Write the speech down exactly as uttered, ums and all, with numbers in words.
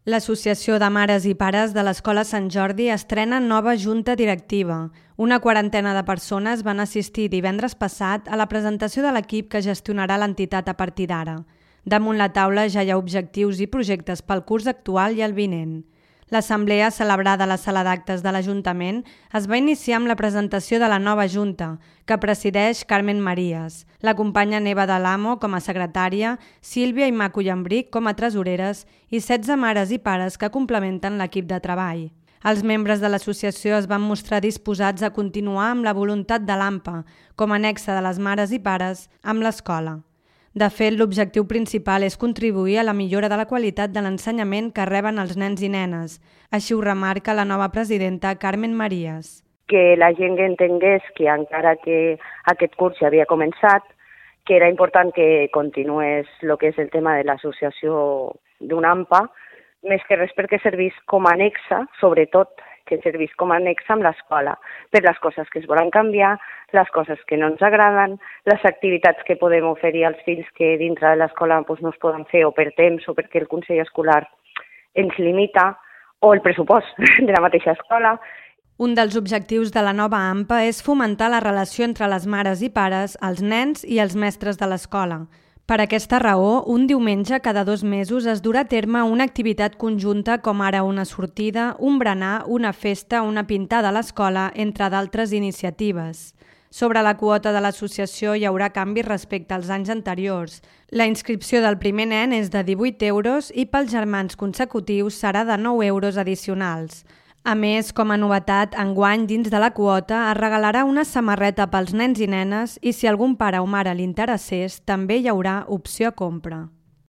L'Associació de Mares i Pares de l'Escola Sant Jordi estrena nova junta directiva. Una quarantena de persones van assistir divendres passat a la presentació de l'equip que gestionarà l'entitat a partir d'ara. Damunt la taula ja hi ha objectius i projectes pel curs actual i el vinent. L'assemblea celebrada a la sala d'actes de l'Ajuntament es va iniciar amb la presentació de la nova junta, que presideix Carmen Marías. L'acompanya Neva de l'Amo com a secretària, Sílvia i Maco Llambric com a tresoreres i setze mares i pares que complementen l'equip de treball. Els membres de l'associació es van mostrar disposats a continuar amb la voluntat de l'A M P A, com a nexe de les mares i pares, amb l'escola. De fet, l'objectiu principal és contribuir a la millora de la qualitat de l'ensenyament que reben els nens i nenes. Així ho remarca la nova presidenta Carmen Marías. Que la gent entengués que encara que aquest curs ja havia començat, que era important que continués el que és el tema de l'associació d'un A M P A, més que res perquè servís com a anexa, sobretot que servís com a anexa amb l'escola, per les coses que es volen canviar, les coses que no ens agraden, les activitats que podem oferir als fills que dintre de l'escola doncs, no es poden fer o per temps o perquè el Consell Escolar ens limita, o el pressupost de la mateixa escola. Un dels objectius de la nova A M P A és fomentar la relació entre les mares i pares, els nens i els mestres de l'escola. Per aquesta raó, un diumenge cada dos mesos es durà a terme una activitat conjunta com ara una sortida, un berenar, una festa, una pintada a l'escola, entre d'altres iniciatives. Sobre la quota de l'associació hi haurà canvis respecte als anys anteriors. La inscripció del primer nen és de divuit euros i pels germans consecutius serà de nou euros addicionals. A més, com a novetat, enguany dins de la quota es regalarà una samarreta pels nens i nenes i si algun pare o mare li interessés, també hi haurà opció a compra.